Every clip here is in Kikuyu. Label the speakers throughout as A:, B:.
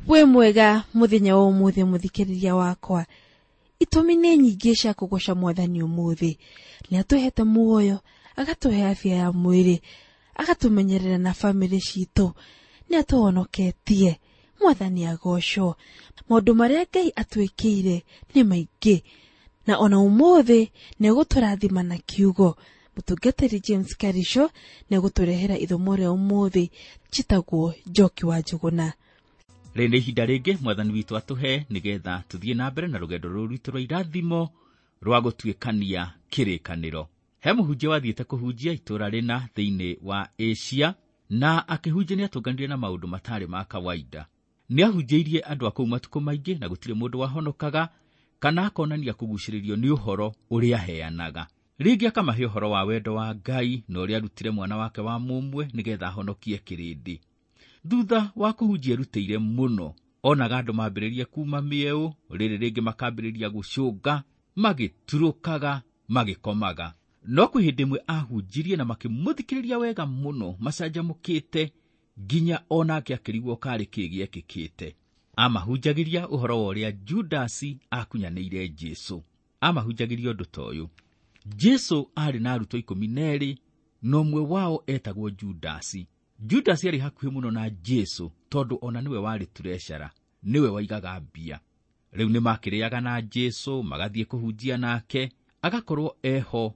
A: Wĩ mwega mũthenya wa ũmũthĩ mũthikĩrĩria wakwa. Itũmi nĩ nyingĩ cia kũgoca mwathani ũmũthĩ. Nĩ atũhete muoyo, agatũhe afya ya mwĩrĩ, agatũmenyerera na bamĩrĩ citũ, nĩ atũhonoketie. Mwathani agocwo. Maũndũ marĩa Ngai atwĩkĩire nĩ maingĩ, na ona ũmũthĩ nĩ egũtũrathima na kiugo. Mũtungatĩri James Karisho nĩ egũtũrehera ithomo rĩa ũmũthĩ njĩtagwo Njoki wa Njũgũna.
B: Rĩrĩ nĩ ihinda rĩngĩ mwathani witũ atũhe nĩgetha tũthiĩ na mbere na rũgendo rũrũ rwitũ rwa irathimo rwa gũtuĩkania kĩrĩkanĩro. He mũhunjia wathiĩte kũhunjia itũũra rĩna thĩinĩ wa Asia, na akĩhunjia nĩatũnganire na maũndũ matarĩ ma kawaida. Nĩahunjĩirie andũ a kũu matukũ maingĩ na gũtirĩ mũndũ wahonokaga kana akonania kũgucĩrĩrio nĩ ũhoro ũrĩa aheanaga. Rĩngĩ akamahe ũhoro wa wendo wa Ngai na ũrĩa arutire mwana wake wa mũmwe nĩgetha ahonokie kĩrĩndĩ. Thutha wa kũhunjia erutĩire mũno, onaga andũ mambĩrĩria kuma mĩeũ, rĩrĩ rĩngĩ makambĩrĩria gũcũnga, magĩturũkaga, magĩkomaga. No kwĩ hĩndĩ ĩmwe ahunjirie na makĩmũthikĩrĩria wega mũno, macanjamũkĩte, nginya onake akĩrigwo karĩ kĩĩ gĩekĩkĩte. Amahunjagĩria ũhoro wa ũrĩa Judasi akunyanĩire Jesũ. Amahunjagĩria ũndũ ta ũyũ. Jesũ aarĩ na arutwo 12, na ũmwe wao etagwo Judasi. Judasi aarĩ hakuhĩ mũno na Jesũ tondũ ona nĩwe warĩ treasurer, nĩwe waigaga mbia. Rĩu nĩmakĩrĩaga na Jesũ, magathiĩ kũhunjia nake, agakorwo eho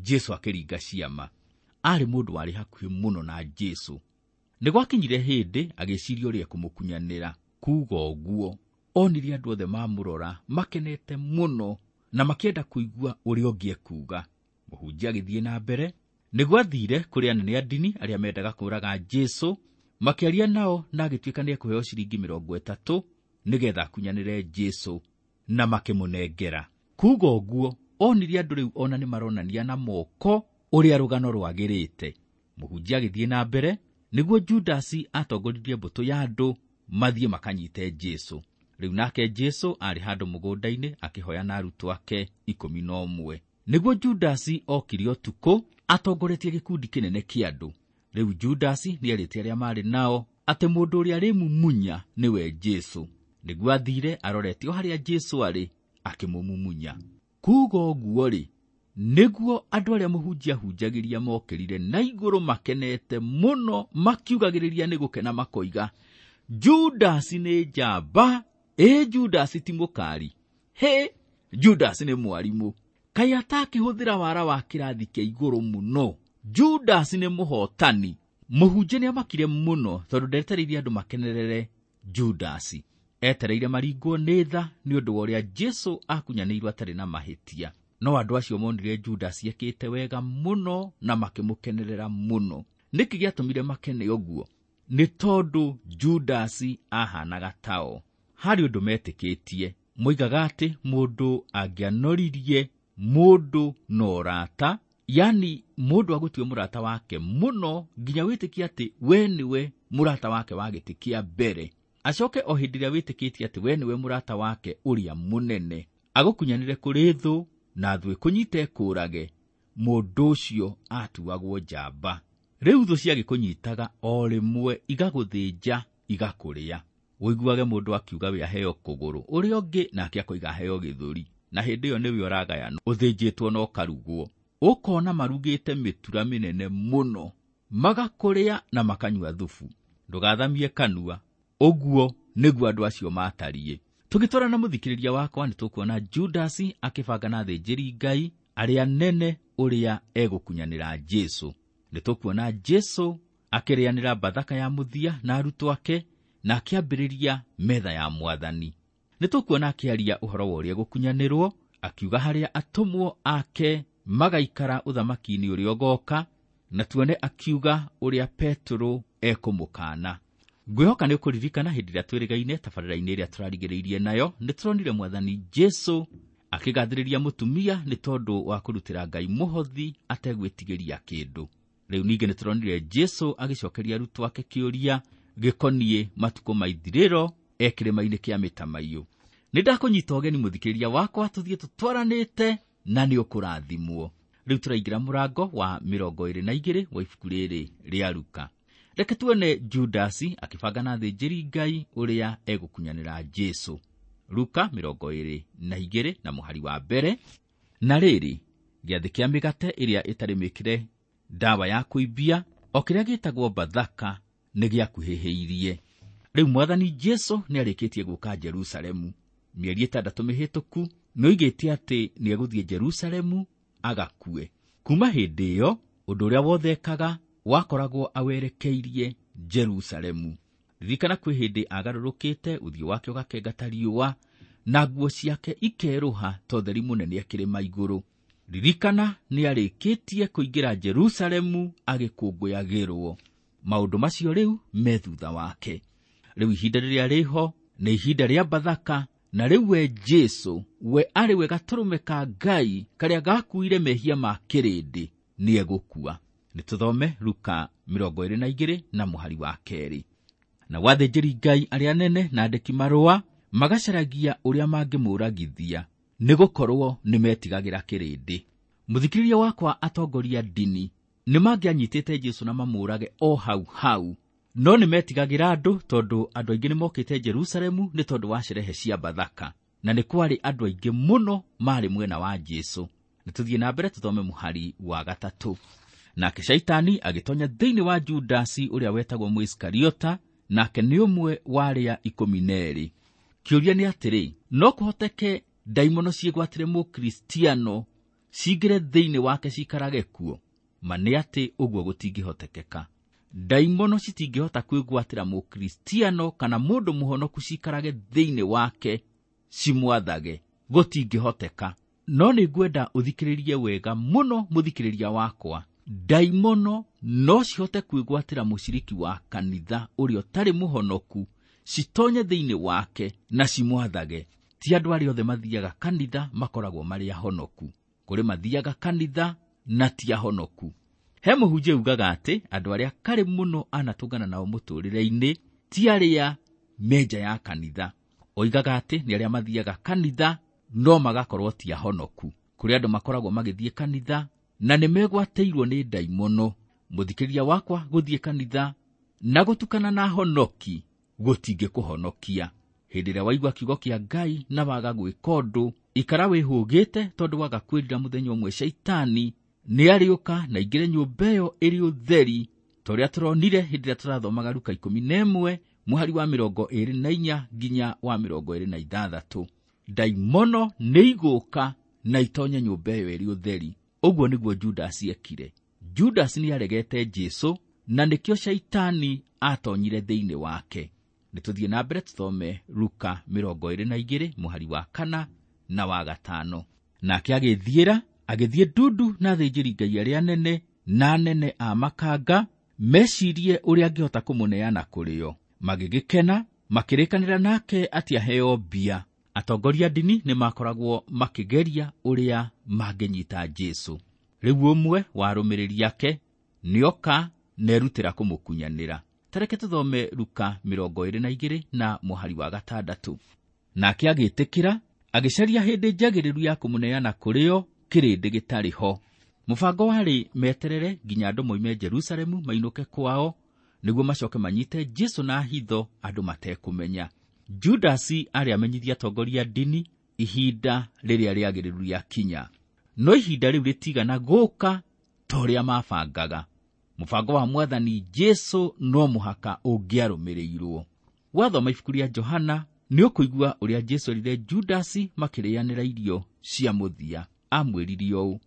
B: Jesũ akĩringa ciama. Aarĩ mũndũ warĩ hakuhĩ mũno na Jesũ. Nĩ gwakinyire hĩndĩ agĩciria ũrĩa ekũmũkunyanĩra. Kuuga ũguo, onire andũ othe mamũrora makenete mũno na makĩenda kũigua ũrĩa ũngĩ ekuuga. Mũhunjia agĩthiĩ na mbere. Nĩ gwathire kũrĩ anene a ndini arĩa mendaga kũũraga Jesũ, makĩaria nao na agĩtuĩka nĩ ekũheo ciringi 30 nĩgetha akunyanĩre Jesũ, na makĩmũnengera. Kuuga ũguo, onire andũ rĩu ona nĩ maronania na moko ũrĩa rũgano rwagĩrĩte. Mũhunjia agĩthiĩ na mbere, nĩguo Judasi atongoririe mbũtũ ya andũ mathiĩ makanyite Jesũ. Rĩu nake Jesũ aarĩ handũ mũgũnda-inĩ akĩhoya na arutwo ake 11. Nĩguo Judasi okire ũtukũ atongoretie gĩkundi kĩnene kĩa andũ. Rĩu Judasi nĩerĩte arĩa marĩ nao atĩ mũndũ ũrĩa arĩmumunya nĩwe Jesũ. Nĩguo athire arorete o harĩa Jesũ arĩ akĩmũmumunya. Kuuga ũguo-rĩ, nĩguo andũ arĩa mũhunjia ahunjagĩria mokĩrire na igũrũ makenete mũno, makiugagĩrĩria nĩ gũkena makoiga, Judasi nĩ njamba, ĩ Judasi ti mũkari, hĩ Judasi nĩ mwarimũ, kaĩ atakĩhũthĩra wara wa kĩrathi kĩa igũrũ mũno, Judasi nĩ mũhotani. Mũhunjia nĩamakire mũno tondũ ndetereirie andũ makenerere Judasi. Etereire maringwo nĩ tha nĩ ũndũ wa ũrĩa Jesũ akunyanĩirwo atarĩ na mahĩtia. No andũ acio monire Judasi ekĩte wega mũno na makĩmũkenerera mũno. Nĩkĩ gĩatũmire makene ũguo? Nĩ tondũ Judasi ahanaga tao. Harĩ ũndũ metĩkĩtie, moigaga atĩ mũndũ angĩanoririe mũndũ na ũrata, yani mũndũ agũtue mũrata wake mũno nginya wĩtĩkie atĩ we nĩwe mũrata wake wa gĩtĩ kĩa mbere. Acoke o hĩndĩ ĩrĩa wĩtĩkĩtie atĩ we nĩwe mũrata wake ũrĩa mũnene, agũkunyanĩre kũrĩ thũ na thũ ĩkũnyite ĩkũũrage, mũndũ ũcio atuagwo njamba. Rĩu thũ ciagĩkũnyitaga o rĩmwe igagũthĩnja igakũrĩa. Ũiguage mũndũ akiuga we aheo kũgũrũ, ũrĩa ũngĩ nake akoiga aheo gĩthũri, na hĩndĩ ĩyo nĩwe ũragayanwo, ũthĩnjĩtwo na ũkarugwo. Ũkona marugĩte mĩtura mĩnene mũno, magakũrĩa na makanyua thubu. Ndũgathamie kanua. Ũguo nĩguo andũ acio matariĩ. Tũgĩtwarana mũthikĩrĩria wakwa nĩ tũkuona Judasi akĩbanga na athĩnjĩri Ngai arĩa nene ũrĩa egũkunyanĩra Jesũ. Nĩ tũkuona Jesũ akĩrĩanĩra Bathaka ya mũthia na arutwo ake na akĩambĩrĩria metha ya mwathani. Nĩ tũkuona akĩaria ũhoro wa ũrĩa egũkunyanĩrwo, akiuga harĩa atũmwo ake magaikara ũthamaki-inĩ ũrĩa ũgoka, na tuone akiuga ũrĩa Petero ekũmũkana. Ngwĩhoka nĩ ũkũririkana hĩndĩ ĩrĩa twĩrĩgaine tabarĩra-inĩ ĩrĩa tũrarigĩrĩirie nayo, nĩ tũronire mwathani Jesũ akĩgathĩrĩria mũtumia nĩ tondũ wa kũrutĩra Ngai mũhothi ategwĩtigĩria kĩndũ. Rĩu ningĩ nĩ tũronire Jesũ agĩcokeria arutwo ake kĩũria gĩkoniĩ matukũ ma ithirĩro e kĩrĩma-inĩ kĩa mĩtamaiyũ. Nĩ ndakũnyita ũgeni mũthikĩrĩria wakwa tũthiĩ tũtwaranĩte na nĩ ũkũrathimwo. Rĩu tũraingĩra mũrango wa 22 wa ibuku rĩrĩ rĩa Luka. Reke tuone Judasi akĩbanga na athĩnjĩri Ngai ũrĩa egũkunyanĩra Jesũ. Luka 22 na mũhari wa 1. Na rĩrĩ, gĩathĩ kĩa mĩgate ĩrĩa ĩtarĩ mĩkĩre ndawa ya kũimbia, o kĩrĩa gĩtagwo Bathaka, nĩ gĩakuhĩhĩirie. Rĩu Mwathani Jesũ nĩarĩkĩtie gũka Jerusalemu. Mĩeri 6 mĩhĩtũku nĩoigĩte atĩ nĩegũthiĩ Jerusalemu agakue. Kuma hĩndĩ ĩyo, ũndũ ũrĩa wothe ekaga wakoragwo awerekeirie Jerusalemu. Ririkana kwĩ hĩndĩ agarũrũkĩte, ũthiũ wake ũgakenga ta riũa, na nguo ciake ikerũha ta ũtheri mũnene akĩrĩma igũrũ. Ririkana nĩarĩkĩtie kũingĩra Jerusalemu agĩkũngũyagĩrwo. Maũndũ macio rĩu me thutha wake. Rĩu ihinda rĩrĩa rĩho nĩ ihinda rĩa Bathaka, na rĩu we Jesũ, we arĩ we gatũrũme ka Ngai karĩa gakuire mehia ma kĩrĩndĩ, nĩegũkua. Nĩtũthome Luka 22 na mũhari wa 2. Na athĩnjĩri Ngai arĩa anene na andĩki marũa magacaragia ũrĩa mangĩmũragithia, nĩgũkorwo nĩmetigagĩra kĩrĩndĩ. Mũthikĩrĩria wakwa, atongoria ndini nĩmangĩanyitĩte Jesũ na mamũrage o hau hau, no nĩmetigagĩra andũ tondũ andũ aingĩ nĩmokĩte Jerusalemu nĩ tondũ wa sherehe cia Bathaka, na nĩ kwarĩ andũ aingĩ mũno marĩ mwena wa Jesũ. Nĩtũthiĩ na mbere tũthome mũhari wa 3. Nake Shaitani agĩtonya thĩinĩ wa Judasi ũrĩa wetagwo Mũisikariota, nake nĩ ũmwe wa arĩa 12. Kĩũria nĩ atĩrĩ, no kũhoteke ndaimono ciĩgwatĩre Mũkristiano cingĩre thĩinĩ wake ciikarage kuo? Ma nĩ atĩ ũguo gũtingĩhotekeka. Ndaimono citingĩhota kwĩgwatĩra Mũkristiano kana mũndũ mũhonoku ciikarage thĩinĩ wake cimwathage, gũtingĩhoteka. No nĩngwenda ũthikĩrĩrie wega mũno mũthikĩrĩria wakwa. Ndaimono no cihote kwĩgwatĩra mũciriki wa kanitha ũrĩa ũtarĩ mũhonoku, citonye thĩinĩ wake na cimwathage. Ti andũ arĩa othe mathiaga kanitha makoragwo marĩ ahonoku. Kũrĩ mathiaga kanitha na ti ahonoku. He mũhunjia ugaga atĩ andũ arĩa karĩ mũno anatũngana nao mũtũrĩre-inĩ ti arĩa me nja ya kanitha. Oigaga atĩ nĩ arĩa mathiaga kanitha no magakorwo ti ahonoku. Kũrĩ andũ makoragwo magĩthiĩ kanitha na nĩmegwatĩirwo nĩ ndaimono. Mũthikĩrĩria wakwa, gũthiĩ kanitha na gũtukana na ahonoki gũtingĩkũhonokia. Hĩndĩ ĩrĩa waigua kiugo kĩa Ngai na waga gwĩka ũndũ, ikara wĩhũgĩte tondũ waga kwĩrira mũthenya ũmwe Shaitani nĩarĩũka na aingĩre nyũmba ĩyo ĩrĩ ũtheri, ta ũrĩa tũronire hĩndĩ ĩrĩa tũrathomaga Luka 11 mũhari wa 24 nginya wa 26. Ndaimono nĩigũka na itonye nyũmba ĩyo ĩrĩ ũtheri. Ũguo nĩguo Judasi ekire. Judasi nĩaregete Jesũ na nĩkĩo Shaitani atonyire thĩinĩ wake. Nĩtũthiĩ na mbere tũthome Luka 22 mũhari wa 4 na wa 5. Nake agĩthiĩra, agĩthiĩ ndundu na athĩnjĩri Ngai arĩa anene na anene a makanga, mecirie ũrĩa angĩhota kũmũneana kũrĩ o. Magĩgĩkena, makĩrĩkanĩra nake atĩ aheo mbia. Atongoria ndini nĩmakoragwo makĩgeria ũrĩa mangĩnyita Jesũ. Rĩu ũmwe wa arũmĩrĩri ake nĩoka nerutĩra kũmũkunyanĩra. Tareke tũthome Luka 22 na mũhari wa 6. Nake agĩtĩkĩra, agĩcaria hĩndĩ njagĩrĩru ya kũmũneana kũrĩ o kĩrĩndĩ gĩtarĩ ho. Mũbango warĩ meterere nginya andũ moime Jerusalemu mainũke kwao, nĩguo macoke manyite Jesũ na hitho andũ matekũmenya. Judasi arĩ amenyithia atongoria ndini ihinda rĩrĩa rĩagĩrĩru rĩakinya, no ihinda rĩu rĩtigana gũka ta ũrĩa mabangaga. Mũbango wa Mwathani Jesũ no mũhaka ũngĩarũmĩrĩirwo. Wathoma ibuku rĩa Johana nĩũkũigua ũrĩa Jesũ erire Judasi makĩrĩanĩra irio cia mũthia. Amwĩrire ũũ,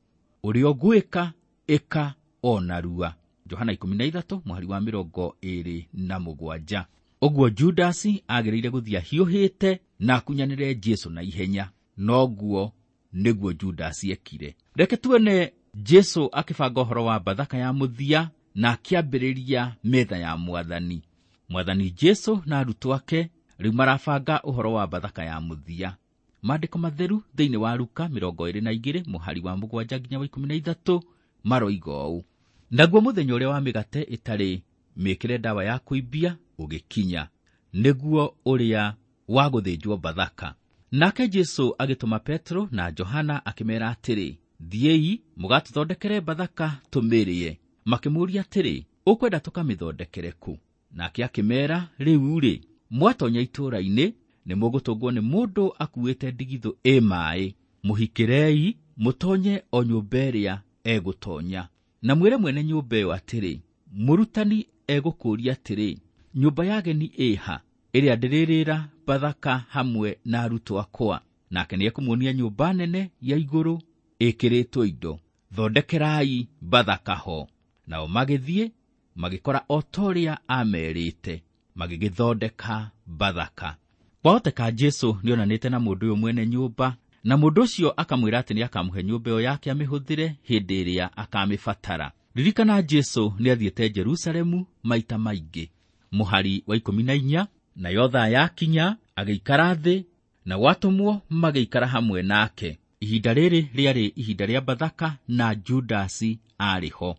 B: ũrĩa ũgwĩka ĩka o narua. Johana 13 mũhari wa 27. Ũguo Judasi agĩrĩire gũthiĩ ahiũhĩte na akunyanĩre Jesũ na ihenya. Noguo nĩguo Judasi ekire. Reke tuone Jesũ akĩbanga ũhoro wa Bathaka ya mũthia na akĩambĩrĩria metha ya Mwathani. Mwathani Jesũ na arutwo ake rĩu marabanga ũhoro wa Bathaka ya mũthia. Maandĩko matheru thĩinĩ wa Luka 22 mũhari wa 7 nginya wa 13 maroiga ũũ: naguo mũthenya ũrĩa wa mĩgate ĩtarĩ mĩkĩre ndawa ya kũimbia ũgĩkinya, nĩguo ũrĩa wa gũthĩnjwo Bathaka. Nake Jesũ agĩtũma Petro na Johana akĩmeera atĩrĩ, thiĩi mũgatũthondekere Bathaka tũmĩrĩe. Makĩmũũria atĩrĩ, Ũkwenda tũkamĩthondekere kũ? Nake akĩmeera, rĩu-rĩ, mwatonya itũũra-inĩ nĩ mũgũtũngwo nĩ mũndũ akuĩte ndigithũ ĩ maaĩ. Mũhikĩrei, mũtonye o nyũmba ĩrĩa egũtonya. Na mwĩre mwene nyũmba ĩyo atĩrĩ, mũrutani egũkũũria atĩrĩ, nyũmba ya ageni ĩha, ĩrĩa ndĩrĩrĩra Bathaka hamwe na arutwo akwa? Nake nĩekũmuonia nyũmba nene ya igũrũ ĩkĩrĩtwo indo. Thondekerai Bathaka ho. Nao magĩthiĩ magĩkora o ta ũrĩa aamerĩte, magĩgĩthondeka Bathaka. Kwahoteka Jesũ nĩonanĩte na mũndũ ũyũ mwene nyũmba, na mũndũ ũcio akamwĩra atĩ nĩakamũhe nyũmba ĩyo yake amĩhũthĩre hĩndĩ ĩrĩa akamĩbatara. Ririkana Jesũ nĩathiĩte Jerusalemu maita maingĩ. Mũhari wa 14, nayo thaa yakinya agĩikara thĩ, na gwatũmwo magĩikara hamwe nake. Ihinda rĩrĩ rĩarĩ ihinda rĩa Bathaka na Judasi aarĩ ho.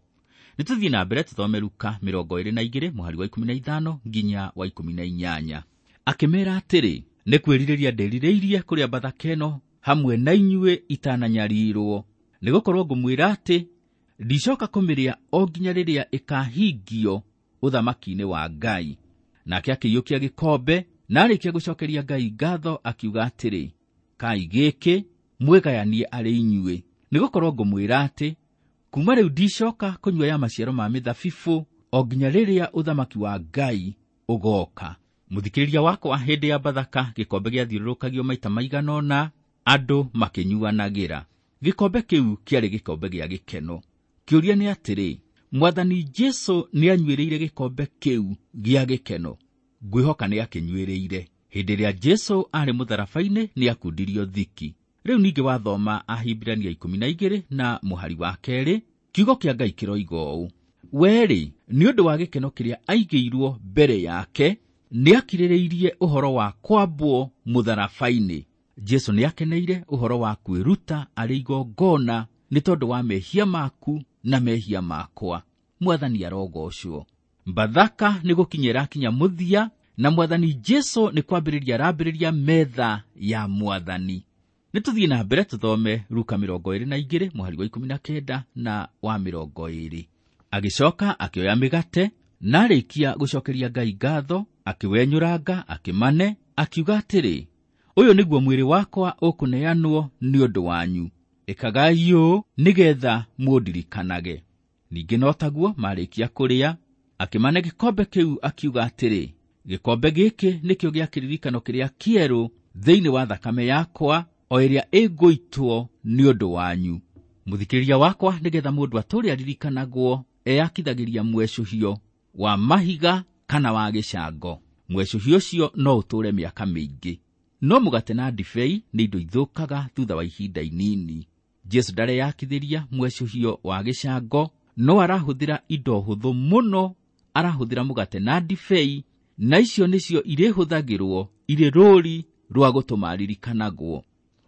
B: Nĩtũthiĩ na mbere tũthome Luka 22 mũhari wa 15 nginya wa 18. Akĩmeera atĩrĩ, nĩ kwĩrirĩria ndĩrirĩirie kũrĩa Bathaka ĩno hamwe na inyuĩ itananyarirwo, nĩgũkorwo ngũmwĩra atĩ ndicoka kũmĩrĩa o nginya rĩrĩa ĩkahingio ũthamaki-inĩ wa Ngai. Nake akĩiyũkia gĩkombe, na arĩkia gũcokeria Ngai ngatho akiuga atĩrĩ, kai gĩkĩ mwĩgayanie arĩ inyuĩ, nĩgũkorwo ngũmwĩra atĩ kuma rĩu ndicoka kũnyua ya maciaro ma mĩthabibũ o nginya rĩrĩa ũthamaki wa Ngai ũgooka. Mũthikĩrĩria wakwa, hĩndĩ ya Bathaka gĩkombe gĩathiũrũrũkagio maita maigana ũna, andũ makĩnyuanagĩra. Gĩkombe kĩu kĩarĩ gĩkombe gĩa gĩkeno. Kĩũria nĩ atĩrĩ, Mwathani Jesũ nĩanyuĩrĩire gĩkombe kĩu gĩa gĩkeno? Ngwĩhoka nĩakĩnyuĩrĩire. Hĩndĩ ĩrĩa Jesũ aarĩ mũtharaba-inĩ nĩakundirio thiki. Rĩu ningĩ wathoma Ahibirania 12 na mũhari wa 2, kiugo kĩa Ngai kĩroiga ũũ: we-rĩ, nĩ ũndũ wa gĩkeno kĩrĩa aigĩirwo mbere yake, nĩakirĩrĩirie ũhoro wa kwambwo mũtharaba-inĩ. Jesũ nĩakeneire ũhoro wa kwĩruta arĩ igongona nĩ tondũ wa mehia maku na mehia makwa. Mwathani arogocwo. Bathaka nĩ gũkinya ĩrakinya mũthia, na Mwathani Jesũ nĩ kwambĩrĩria arambĩrĩria metha ya Mwathani. Nĩtũthiĩ na mbere tũthome Luka 22 mũhari wa 19 na wa 20. Agĩcoka akĩoya mĩgate, na arĩkia gũcokeria Ngai ngatho, akĩwenyũranga, akĩmane, akiuga atĩrĩ, ũyũ nĩguo mwĩrĩ wakwa ũkũneanwo nĩ ũndũ wanyu. Ĩkagai ũũ nĩgetha mũndirikanage. Ningĩ no taguo marĩkia kũrĩa, akĩmane gĩkombe kĩu akiuga atĩrĩ, gĩkombe gĩkĩ nĩkĩo gĩa kĩririkano kĩrĩa kĩerũ thĩinĩ wa thakame yakwa, o ĩrĩa ĩngũitwo nĩ ũndũ wanyu. Mũthikĩrĩria wakwa, nĩgetha mũndũ atũũre aririkanagwo, eyakithagĩria mwecũhio wa mahiga kana wa gĩcango. Mwecũhio ũcio no ũtũũre mĩaka mĩingĩ. No mũgate na ndibei nĩ indo ithũkaga thutha wa ihinda inini. Jesũ ndareyakithĩria mwecũhio wa gĩcango, no arahũthĩra indo hũthũ mũno. Arahũthĩra mũgate na ndibei, na icio nĩcio irĩhũthagĩrwo irĩ rũũri rwa gũtũma aririkanagwo.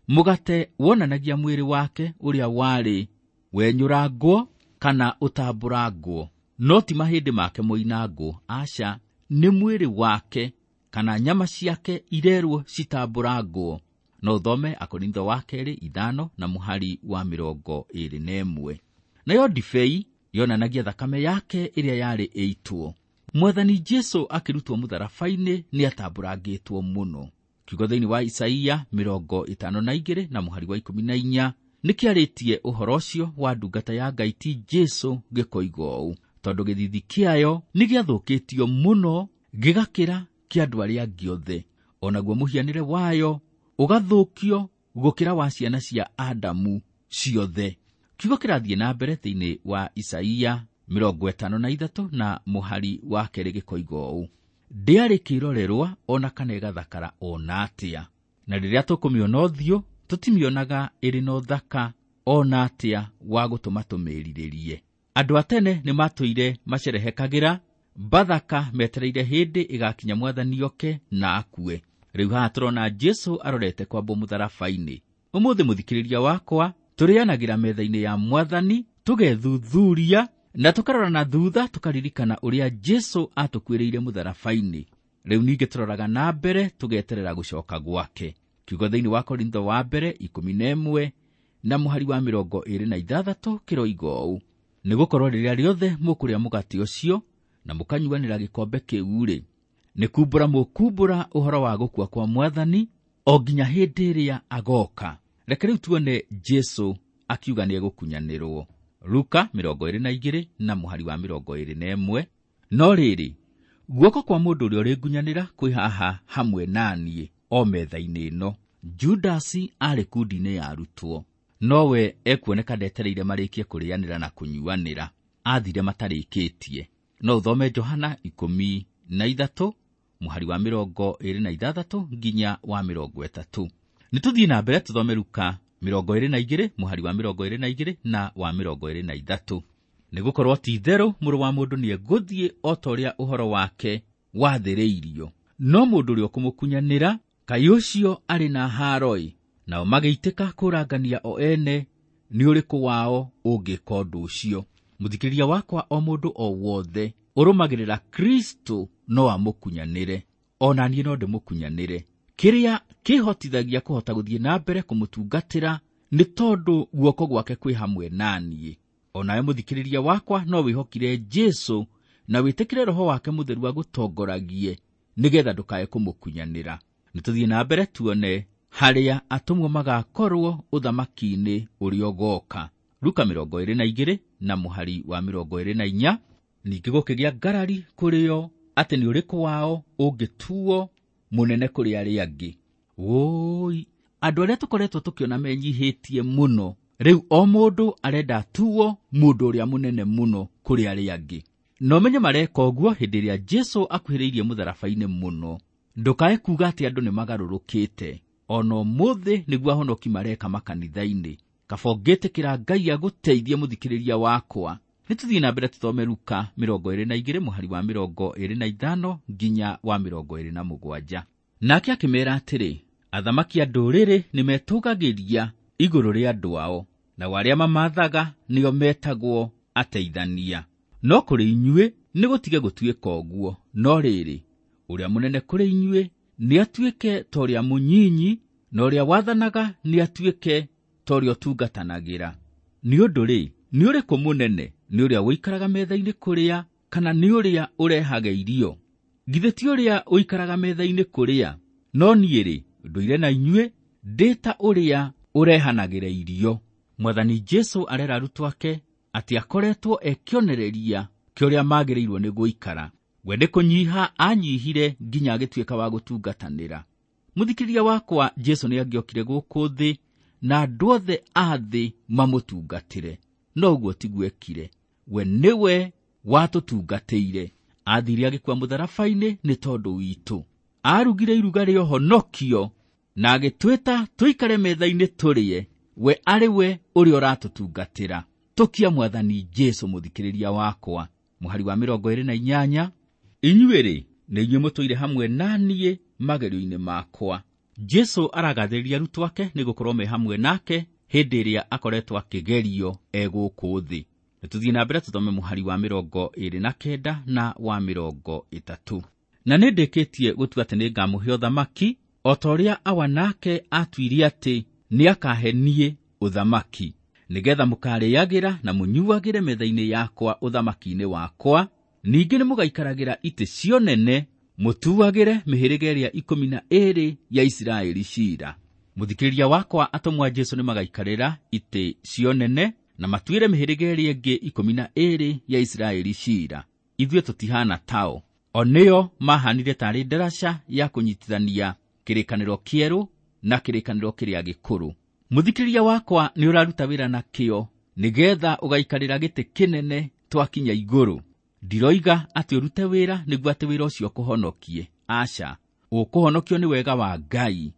B: Mũgate wonanagia mwĩrĩ wake ũrĩa warĩ wenyũrangwo kana ũtambũrangwo, no ti mahĩndĩ make moinangwo. Aca, nĩ mwĩrĩ wake kana nyama ciake irerwo citambũrangwo. No ũthome Akorintho wa 2 5 na mũhari wa 21. Nayo ndibei yonanagia thakame yake ĩrĩa yarĩ ĩitwo. Mwathani Jesũ akĩrutwo mũtharaba-inĩ nĩatambũrangĩtwo mũno. Kiugo thĩinĩ wa Isaia 52 na mũhari wa 14 nĩkĩarĩtie ũhoro ũcio wa ndungata ya Ngai ti Jesũ gĩkoiga ũũ, tondũ gĩthithi kĩayo nĩgĩathũkĩtio mũno gĩgakĩra kĩa andũ arĩa angĩ othe, onaguo mũhianĩre wayo ũgathũkio gũkĩra wa ciana cia Adamu ciothe. Kiugo kĩrathiĩ na mbere thĩinĩ wa Isaia 53 na mũhari wa 2 gĩkoiga ũũ, ndĩarĩ kĩrorerwa ona kana ĩgathakara ona atĩa, na rĩrĩa tũkũmĩona ũthiũ tũtimĩonaga ĩrĩ na ũthaka ona atĩa wa gũtũma tũmĩrirĩrie. Andũ a tene nĩmatũire macerehekagĩra Bathaka metereire hĩndĩ ĩgakinya Mwathani oke na akue. Rĩu haha tũrona Jesũ arorete kwambwo mũtharaba-inĩ. Ũmũthĩ mũthikĩrĩria wakwa, tũrĩanagĩra metha-inĩ ya Mwathani, tũgethuthuria na tũkarora na thutha tũkaririkana ũrĩa Jesũ atũkuĩrĩire mũtharaba-inĩ. Rĩu ningĩ tũroraga na mbere tũgeterera gũcoka gwake. Kiugo thĩinĩ wa Korintho wa mbere 11 na mũhari wa 26 kĩroiga ũũ, Nĩgũkorwo rĩrĩa rĩothe mũkũrĩa mũgate ũcio na mũkanyuanĩra gĩkombe kĩu-rĩ, nĩ kumbũra mũkumbũra ũhoro wa gũkua kwa Mwathani o nginya hĩndĩ ĩrĩa agoka. Reke rĩu tuone Jesũ akiuga nĩegũkunyanĩrwo. Luka 22 na mũhari wa 21. No rĩrĩ, guoko kwa mũndũ ũrĩa ũrĩngunyanĩra kwĩ haha hamwe na niĩ o metha-inĩ ĩno. Judasi aarĩ kundi-inĩ ya arutwo, nowe ekuoneka ndetereire marĩkie kũrĩanĩra na kũnyuanĩra, aathire matarĩkĩtie. No ũthome Johana 13 mũhari wa 26 nginya wa 30. Nĩtũthiĩ na mbere tũthome Luka 22 mũhari wa 22 na wa 23. Nĩgũkorwo ti itherũ mũrũ wa mũndũ nĩegũthiĩ o ta ũrĩa ũhoro wake wathĩrĩirio, no mũndũ ũrĩa ũkũmũkunyanĩra, kaĩ ũcio arĩ na haaro-ĩ! Nao magĩitĩka kũrangania o ene nĩ ũrĩkũ wao ũngĩka ũndũ ũcio. Mũthikĩrĩria wakwa, o mũndũ o wothe ũrũmagĩrĩra Kristo no amũkunyanĩre, o na niĩ no ndĩmũkunyanĩre. Kĩrĩa kĩhotithagia kũhota gũthiĩ na mbere kũmũtungatĩra nĩ tondũ guoko gwake kwĩ hamwe na niĩ. O nawe mũthikĩrĩria wakwa no wĩhokire Jesũ na wĩtĩkĩre Roho wake Mũtheru agũtongoragie nĩgetha ndũkae kũmũkunyanĩra. Nĩtũthiĩ na mbere tuone harĩa atũmwo magakorwo ũthamaki-inĩ ũrĩa ũgoka. Luka 22 na mũhari wa 24. Ningĩ gũkĩgĩa ngarari kũrĩ o atĩ nĩ ũrĩkũ wao ũngĩtuo mũnene kũrĩ arĩa angĩ. Wũi, andũ arĩa tũkoretwo tũkĩona menyihĩtie mũno, rĩu o mũndũ arenda atuo mũndũ ũrĩa mũnene mũno kũrĩ arĩa angĩ. Na ũmenye mareka ũguo hĩndĩ ĩrĩa Jesũ akuhĩrĩirie mũtharaba-inĩ mũno. Ndũkae kuuga atĩ andũ nĩmagarũrũkĩte. Ona ũmũthĩ nĩguo ahonoki mareka makanitha-inĩ. Kaba ũngĩtĩkĩra Ngai agũteithie mũthikĩrĩria wakwa. Nĩtũthiĩ na mbere tũthome Luka 22 mũhari wa 25 nginya wa 27. Nake akĩmeera atĩrĩ, athamaki a ndũrĩrĩ nĩmetũgagĩria igũrũ rĩa andũ ao, nao arĩa mamathaga nĩo metagwo ateithania. No kũrĩ inyuĩ nĩgũtige gũtuĩka ũguo, no rĩrĩ, ũrĩa mũnene kũrĩ inyuĩ nĩatuĩke ta ũrĩa mũnyinyi, na ũrĩa wathanaga nĩatuĩke ta ũrĩa ũtungatanagĩra. Nĩ ũndũ rĩ, nĩ ũrĩkũ mũnene, nĩ ũrĩa ũikaraga metha-inĩ kũrĩa, kana nĩ ũrĩa ũrehaga irio? Githĩ ti ũrĩa ũikaraga metha-inĩ kũrĩa? No niĩ rĩ, ndũire na inyuĩ ndĩ ta ũrĩa ũrehanagĩra irio. Mwathani Jesũ arera arutwo ake atĩ akoretwo ekĩonereria kĩa ũrĩa magĩrĩirwo nĩ gũikara. We nĩ kũnyiha anyihire nginya agĩtuĩka wa gũtungatanĩra. Mũthikĩrĩria wakwa, Jesũ nĩangĩokire gũkũ thĩ na andũ othe a thĩ mamũtungatĩre, no ũguo tiguo ekire. We nĩwe watũtungatĩire. Aathire agĩkua mũtharaba-inĩ nĩ tondũ witũ. Aarugire iruga rĩa ũhonokio na agĩtwĩta tũikare metha-inĩ tũrĩe. We arĩ we ũrĩa ũratũtungatĩra. Tũkia Mwathani Jesũ mũthikĩrĩria wakwa. Mũhari wa 28. Inyuĩ rĩ, nĩ inyuĩ mũtũire hamwe na niĩ magerio-inĩ makwa. Jesũ aragathĩrĩria arutwo ake nĩ gũkorwo me hamwe nake hĩndĩ ĩrĩa akoretwo akĩgerio e gũkũ thĩ. Nĩtũthiĩ na mbere tũthome mũhari wa 29 na wa 30. Na nĩndĩkĩtie gũtua atĩ nĩngamũhe ũthamaki o ta ũrĩa Awa nake atuire atĩ nĩakahe niĩ ũthamaki, nĩgetha mũkarĩagĩra na mũnyuagĩre metha-inĩ yakwa ũthamaki-inĩ wakwa. Ningĩ nĩmũgaikaragĩra itĩ cionene mũtuagĩre mĩhĩrĩga ĩrĩa 12 ya Isiraeli ciira. Mũthikĩrĩria wakwa, atũmwo a Jesũ nĩmagaikarĩra itĩ cionene na matuĩre mĩhĩrĩga ĩrĩa ĩngĩ 12 ya Isiraeli ciira. Ithuĩ tũtihana tao. O nĩo mahanire tarĩ ndaraca ya kũnyitithania kĩrĩkanĩro kĩerũ na kĩrĩkanĩro kĩrĩa gĩkũrũ. Mũthikĩrĩria wakwa, nĩ ũraruta wĩra na kĩo nĩgetha ũgaikarĩra gĩtĩ kĩnene twakinya igũrũ. Ndiroiga atĩ ũrute wĩra nĩguo atĩ wĩra ũcio ũkũhonokie. Aca, ũkũhonokio nĩ wega wa Ngai.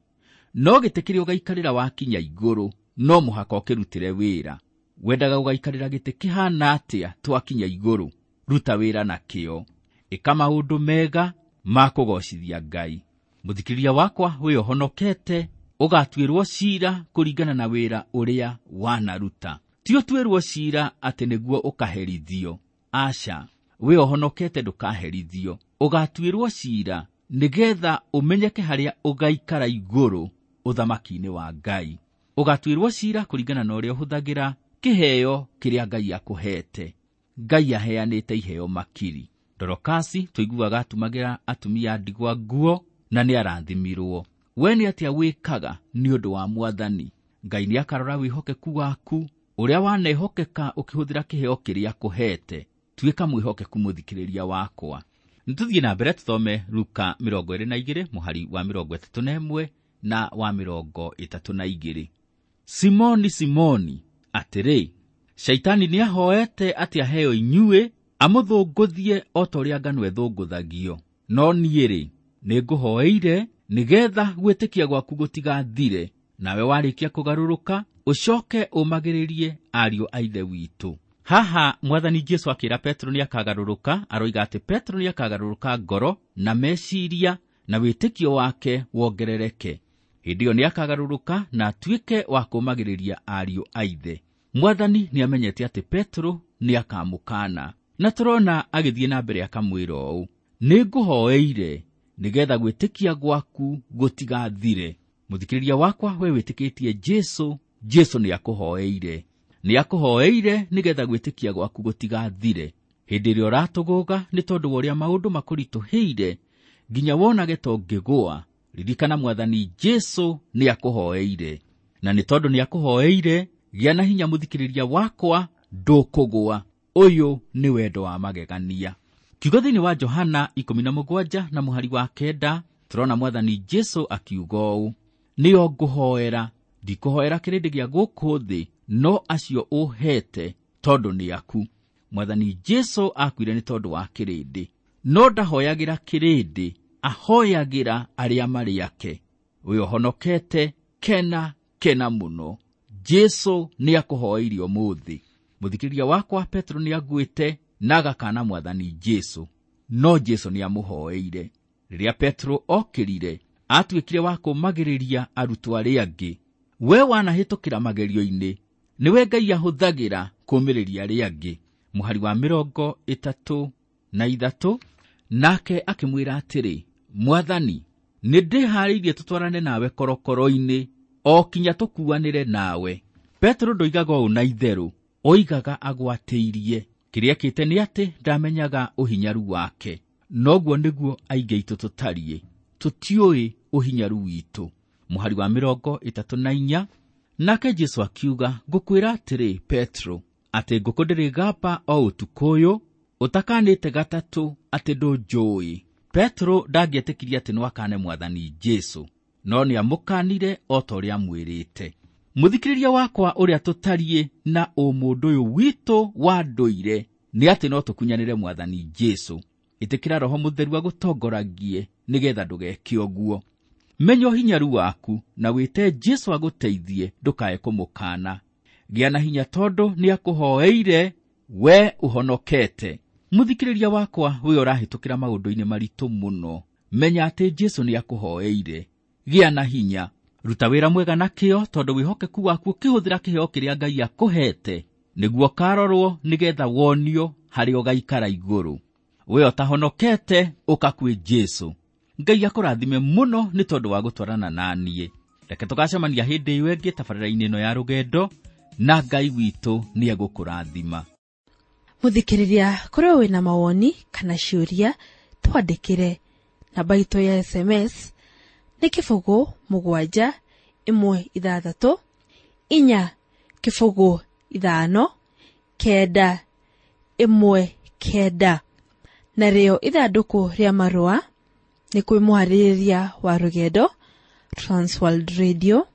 B: No gĩtĩ kĩrĩa ũgaikarĩra wakinya igũrũ no mũhaka ũkĩrutĩre wĩra. Wendaga ũgaikarĩra gĩtĩ kĩhana atĩa twakinya igũrũ? Ruta wĩra na kĩo. Ĩka maũndũ mega ma kũgocithia Ngai. Mũthikĩrĩria wakwa, wĩ ũhonokete ũgatuĩrwo ciira kũringana na wĩra ũrĩa wanaruta. Ti ũtuĩrwo ciira atĩ nĩguo ũkaherithio. Aca, wĩ ũhonokete ndũkaherithio. Ũgatuĩrwo ciira nĩgetha ũmenyeke harĩa ũgaikara igũrũ ũthamaki-inĩ wa Ngai. Ũgatuĩrwo ciira kũringana na ũrĩa ũhũthagĩra kĩheo kĩrĩa Ngai akũhete. Ngai aheanĩte iheo makiri. Dorokasi tũiguaga atumagĩra atumia ndigwa nguo na nĩ arathimirwo. We nĩ atĩa wĩkaga nĩ ũndũ wa Mwathani? Ngai nĩ akarora wĩhokeku waku ũrĩa wanehokeka ũkĩhũthĩra kĩheo kĩrĩa akũhete. Tuĩka mwĩhokeku mũthikĩrĩria wakwa. Nĩtũthiĩ na mbere tũthome Luka 22 mũhari wa 31 na wa 32. Simoni, Simoni, atĩrĩ, Shaitani nĩahoete atĩ aheo inyuĩ amũthũngũthie o ta ũrĩa ngano ĩthũngũthagio. No niĩ-rĩ, nĩngũhoeire nĩgeetha gwĩtĩkia gwaku gũtigathire, nawe warĩkia kũgarũrũka ũcoke ũmagĩrĩrie ariũ a Ithe witũ. Haha Mwathani Jesu akĩra Petro nĩakagarũrũka, aroiga atĩ Petro nĩakagarũrũka ngoro na meciria na wĩtĩkio wake wongerereke. Hĩndĩ ĩyo nĩakagarũrũka na atuĩke wa kũũmagĩrĩria ariũ a Ithe. Mwathani nĩamenyete atĩ Petro nĩakamũkana, na tũrona agĩthiĩ na mbere akamwĩra ũũ, nĩngũhoeire nĩgeetha gwĩtĩkia gwaku gũtigathire. Mũthikĩrĩria wakwa, we wĩtĩkĩtie Jesu, Jesu nĩakũhoeire. Nĩakũhoeire nĩgeetha gwĩtĩkia gwaku gũtigathire. Hĩndĩ ĩrĩa ũratũgũga nĩ tondũ wa ũrĩa maũndũ makũritũhĩire nginya wonage ta ũngĩgũa, ririkana Mwathani Jesu nĩakũhoeire. Na nĩ tondũ nĩakũhoeire, gĩa na hinya mũthikĩrĩria wakwa, ndũkũgũa. Ũyũ nĩ wendo wa magegania. Kiugo thĩinĩ wa Johana 17 na mũhari wa 9 tũrona Mwathani Jesu akiuga ũũ, nĩo ngũhoera, ndikũhoera kĩrĩndĩ gĩa gũkũ thĩ, no acio ũhete tondũ nĩ aku. Mwathani Jesu akuire nĩ tondũ wa kĩrĩndĩ, no ndahoyagĩra kĩrĩndĩ, ahoyagĩra arĩa marĩ ake. Ũyũ ũhonokete, kena kena mũno. Jesu nĩakũhoeirie ũmũthĩ. Mũthikĩrĩria wakwa, Petro nĩaguĩte na agakana Mwathani Jesu, no Jesu nĩamũhoeire. Rĩrĩa Petro okĩrire, atuĩkire wa kũũmagĩrĩria arutwo arĩa angĩ. We wanahĩtũkĩra magerio-inĩ, nĩwe Ngai ahũthagĩra kũũmĩrĩria arĩa angĩ. Mũhari wa 33, nake akĩmwĩra atĩrĩ, Mwathani, nĩndĩharĩirie tũtwarane nawe korokoro-inĩ, o kinya tũkuanĩre nawe. Petro ndoigaga ũũ na itherũ, oigaga agwatĩirie. Kĩrĩa ekĩte nĩ atĩ ndamenyaga ũhinyaru wake. Noguo nĩguo aingĩ aitũ tũtariĩ, tũtiũĩ ũhinyaru witũ. Mũhari wa 34, nake Jesu akiuga, ngũkwĩra atĩrĩ Petro, atĩ ngũkũ ndĩrĩgamba o ũtukũ ũyũ, ũtakanĩte gatatũ atĩ ndũnjũĩ. Petro ndangĩetĩkirie atĩ no akane Mwathani Jesu, no nĩamũkanire o ta ũrĩa amwĩrĩte. Mũthikĩrĩria wakwa, ũrĩa tũtariĩ na ũmũndũ ũyũ witũ wa ndũire nĩ atĩ no tũkunyanĩre Mwathani Jesu. Ĩtĩkĩra Roho Mũtheru agũtongoragie nĩgeetha ndũgeke ũguo. Menya ũhinyaru waku na wĩte Jesu agũteithie, ndũkae kũmũkana. Gĩa na hinya tondũ nĩakũhoeire, we ũhonokete. Mũthikĩrĩria wakwa, we ũrahĩtũkĩra maũndũ-inĩ maritũ mũno, menya atĩ Jesu nĩakũhoeire. Gĩa na hinya, ruta wĩra mwega na kĩyo, tondũ wĩhokeku waku ũkĩhũthĩra kĩheo kĩrĩa Ngai akũhete nĩguo ũkarorwo nĩgeetha wonio harĩa ũgaikara igũrũ. We ũtahonokete, ũka kwĩ Jesu. Ngai akũrathime mũno nĩ tondũ wa gũtwarana na niĩ. Reke tũgacemania hĩndĩ ĩyo ĩngĩ tabarĩra-inĩ ĩno ya rũgendo, na Ngai witũ nĩegũkũrathima.
A: Mũthikĩrĩria, korwo wĩna mawoni kana ciũria, twandĩkĩre. Namba itũ ya SMS nĩ 0 7 1 6 4 0 5 9 1 9. Narĩo ithandũkũ rĩa marũa nĩ kwĩ mũharĩrĩria wa rũgendo Transworld Radio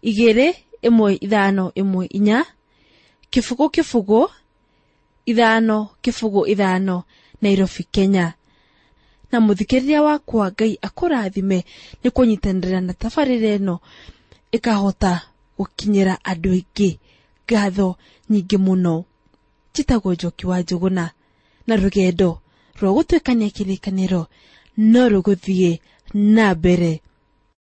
A: 2 1 5 1 4 0 0 5 0 5 Nairobi, Kenya. Na mũthikĩrĩria wakwa, Ngai akũrathime nĩ kũnyitanĩra na tabarĩra ĩno ĩkahota gũkinyĩra andũ aingĩ. Ngatho nyingĩ mũno. Njĩtagwo Njoki wa Njũgũna, na rũgendo rwa gũtuĩkania kĩrĩkanĩro no rũgũthiĩ na mbere.